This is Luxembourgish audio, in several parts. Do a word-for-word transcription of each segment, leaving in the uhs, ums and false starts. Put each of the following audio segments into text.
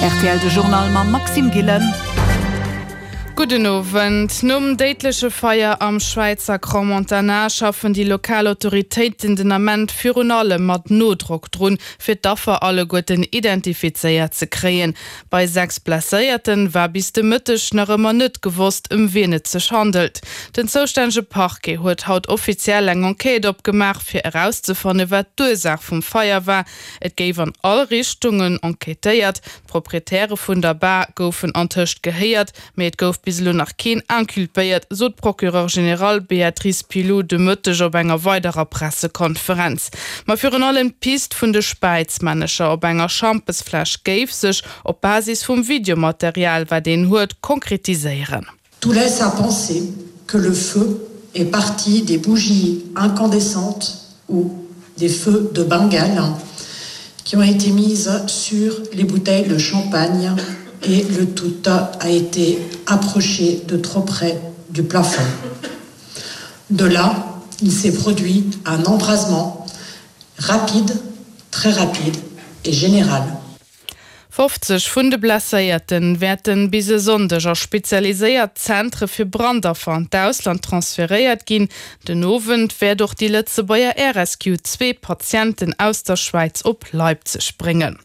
Rtl de Journal mam Maxime Gillen. Gudden Owend. Nom déidleche Feier am Schwäizer Crans-Montana schaffen déi lokal Autoritéiten den Ament virun allem mat Noudrock drun, fir d'Affer alleguerten identifizéiert ze kréien. Bei sechs Blesséierte war bis de Mëtteg nach ëmmer net gewosst, ëm wien et sech handelt. Den zoustännege Parquet huet haut offiziell eng Enquête opgemaach, fir erauszefanne wat d'Ursaach vum Feier war. Et géif an all Richtungen enquêtéiert. D'Proprietäre vun der Bar goufen antëscht gehéiert, mee et gouf bis elo nach keen inculpéiert, sot d'Procureure générale Béatrice Pilloud de Mëtteg op enger weiderer Pressekonferenz. Ma virun allem d'Pist vun de Späizmännecher op enger Schampesfläsch géif sech op Basis vum Videomaterial, wat een huet, konkretiséieren. Tout laisse à penser que le feu est parti des bougies incandescentes ou des feux de Bengale qui ont été mises sur les bouteilles de champagne et le tout a été approché de trop près du plafond. De là, il s'est produit un embrasement rapide, très rapide et général. Fofzeg vun de Blesséierte wäerte bis e Sonndeg a spezialiséiert Zentre fir Brandaffer an d'Ausland transferéiert ginn. Den Owend wäert och déi Lëtzebuerger Air Rescue zwee Patienten aus der Schwäiz op Leipzig bréngen.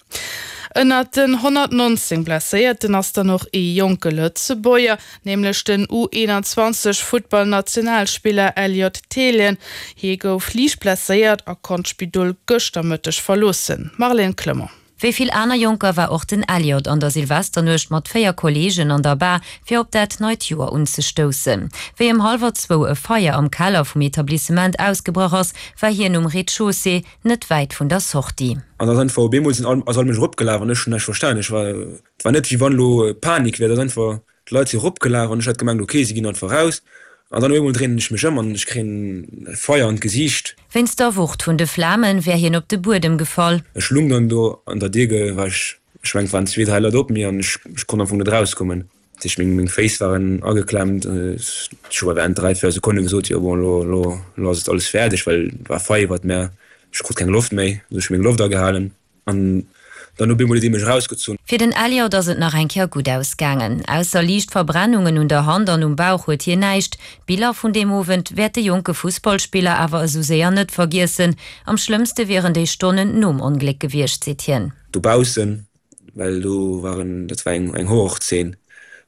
Ënnert den honnertnonzéng Blesséierten ass dann och ee jonke Lëtzebuerger, nämlech den U eenanzwanzeg Futtballnationalspiller Elliot Thelen. Hie gouf liicht blesséiert a konnt d'Spidol gëschter Mëtteg verloossen. Marlène Clement. Wéi vill aner Jonker war och den Elliot an der Silvesternuecht mat véier Kolleegen an der Bar, fir op dat neit Joer unzestoussen. Wéi ëm hallwer zwou e Feier am Keller vum Etablissement ausgebrach ass, war hien um Rez-de-chaussée, net wäit vun der Sortie. An ass einfach op eemol sinn all, ass all Mënsch eropgelaf an ech hunn näischt verstan. Ech war, et war net wéi wann elo Panik wär, et ass einfach, d'Leit si eropgelaf an ech hat gemengt, ok, si ginn einfach raus. An dann op eemol dréinen ech mech ëm an ech kréien Feier an d'Gesiicht. Wéinst der Wucht vun de Flame wär hien op de Buedem gefall. Ech lung dann do an der Dier, war ech, ech mengen et waren zwee, dräi Leit op mir an ech, ech konnt am Fong net erauskommen. Dat heescht meng, meng Féiss waren ageklemmt. Ech hu während dräi, véier Sekonne gesot, jo bon, elo, elo, elo ass et alles fäerdeg, well et war Feier iwwert mär, ech krut keng Loft méi. Also ech hu meng Loft agehalen an dann op eemol huet ee mech erausgezunn. Fir den Elliot ass et nach eng Kéier gutt ausgaangen. Ausser liicht Verbrennungen un der Hand an um Bauch huet hien näischt. D'Biller vun deem Owend wäert de jonke Fussballspiller awer esou séier net vergiessen. Am schlëmmste wieren déi Stonnen nom Ongléck gewiescht, seet hien. Dobaussen, well do waren, dat war eng Horrorzeen,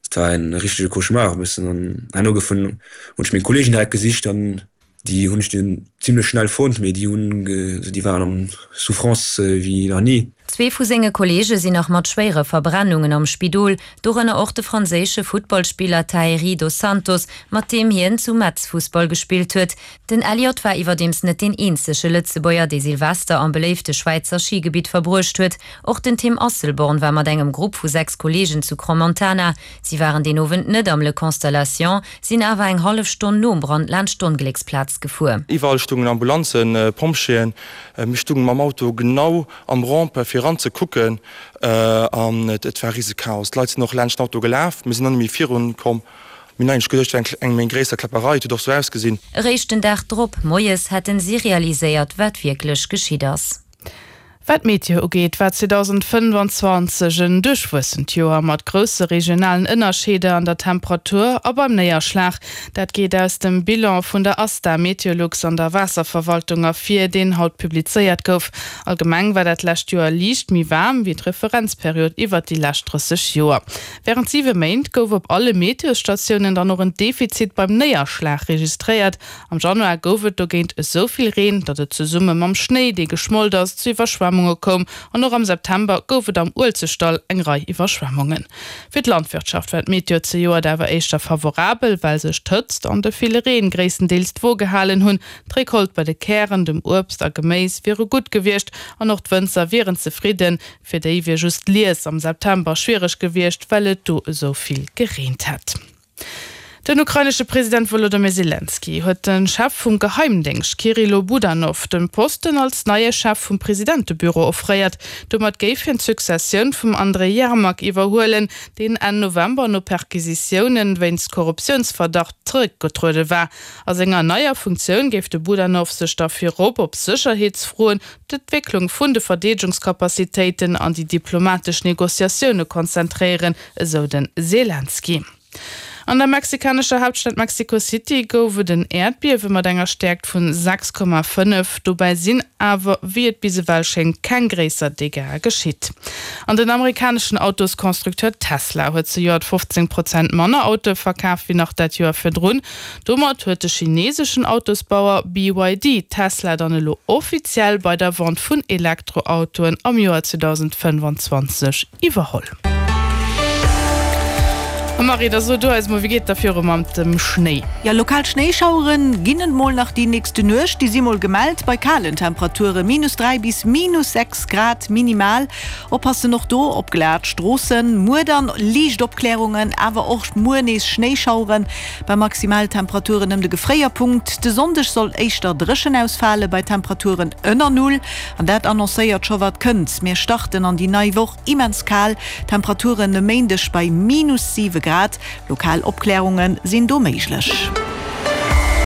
dat war en richtege Cauchemar e bëssen. An herno gouf hunn ech meng Kolleegen direkt gesicht an Déi hunn ech dunn zimlech schnell fonnt, mee déi hunn, déi waren an Souffrance wéi nach ni. Zwee vu senge Kolleege sinn nach mat schwéiere Verbrennungen am Spidol, dorënner och de franséische Futtballspiller Thaëri Dos Santos, mat deem hien zu Metz Fussball gespillt huet. Den Elliot war iwwerdeems net deen eenzege Lëtzebuerger, dee Silvester am beléifte Schwäizer Schigebitt verbruecht huet. Och den Tim Asselborn war mat engem Grupp vu sechs Kolleegen zu Crans-Montana. Si waren deen Owend net am Le Constellation, sinn awer eng hallef Stonn nom Brand laanscht d'Onglécksplaz gefuer. Iwwerall stungen Ambulanzen, Pompjeeën. Mir stungen mam Auto genau am Rond-point fir eran ze kucken an et war rise Chaos. D'Leit sinn och laanscht den Auto gelaf, mir sinn dann net méi virun komm. Mir hunn eigentlech geduecht, et wär eng méi gréisser Kläpperei, et huet och sou ausgesinn. Eréischt den Dag drop moies hätten si realiséiert, wat wierklech geschitt ass. Wat d'Meteo ugeet, war zweedausendfënnwanzwanzeg en duerchwuessent Joer mat grousse regionalen Ënnerscheeder an der Temperatur a beim Néierschlag. Dat geet aus dem Bilan vun der ASTA Meteolux an der Waasserverwaltung ervir, deen haut publizéiert gouf. Allgemeng war dat lescht Joer liicht méi waarm wéi d'Referenzperiod iwwert déi lescht drësseg Joer. Wärend siwe Méint gouf op alle Meteosstatiounen dann och en Defizit beim Néierschlag registréiert. Am Januar gouf et dogéint esou vill Reen, datt et zesumme mam Schnéi, dee geschmolt ass, zu Iwwerschwemmunge koum an och am September gouf et am Uelzechtdall eng Rei Iwwerschwemmungen. Fir d'Landwirtschaft war d'Meteo zejoert awer éischter favorabel, well sech d'Hëtzt an de ville Reen gréisstendeels d'Wo gehalen hunn. D'Recolte bei de Kären, dem Uebst a Geméis wiere gutt gewiescht an och d'Wënzer wieren zefridden. Fir déi wier just d'Lies am September schwiereg gewiescht, well et do esou vill gereent hätt. Den ukrainesche President Wolodymyr Selenskyj huet de Chef vum Geheimdéngscht Kyrylo Budanov de Posten als neie Chef vum Presidentebüro offréiert. Domat géif hien d'Successioun vum Andrij Jermak iwwerhuelen, deen Enn November no Perquisitioune wéinst Korruptiounsverdacht zeréckgetruede war. A senger neier Funktioun géif de Budanov sech da virop op Sécherheetsfroen, d'Entwécklung vun de Verdeedegungscapacitéiten an déi diplomatesch Negociatioune konzentréieren, esou de Selenskyj. An der mexikanescher Haaptstad Mexico City gouf et en Äerdbiewe mat enger Stäerkt vun sechs Komma fënnef. Dobäi sinn awer, wéi et bis ewell schéngt, keng gréisser Dégâtsë geschitt. An den amerikaneschen Autosconstructeur Tesla huet zejoert fofzéng Prozent manner Autoe verkaf wéi nach dat Joer virdrun. Domat huet de chineseschen Autosbauer B Y D Tesla dann elo offiziell bei der Vente vun Elektroautoen am Joer zweedausendfënnefanzwanzeg iwwerholl. A Marie, da so du eis mol, wéi geet da viru mam dem Schnéi? Jo, lokal Schnéischauere ginn et mol nach déi nächste Nuecht, déi si mol gemellt bei kalen Temperature, minus dräi bis minus sechs Grad minimal. Oppassen och do op glat Stroossen. Muer dann liicht Opklärungen, awer och muer nees Schnéischaueren bei Maximaltemperaturen ëm de Gefréierpunkt. De Sonndeg soll éischter dréchen ausfale bei Temperaturen ënner Null an dat annoncéiert scho wat kënnt. Mir starten an déi nei Woch immens kal, Temperaturen e Méindeg bei minus siwe Grad. Lokal Opklärunge sinn do méiglech.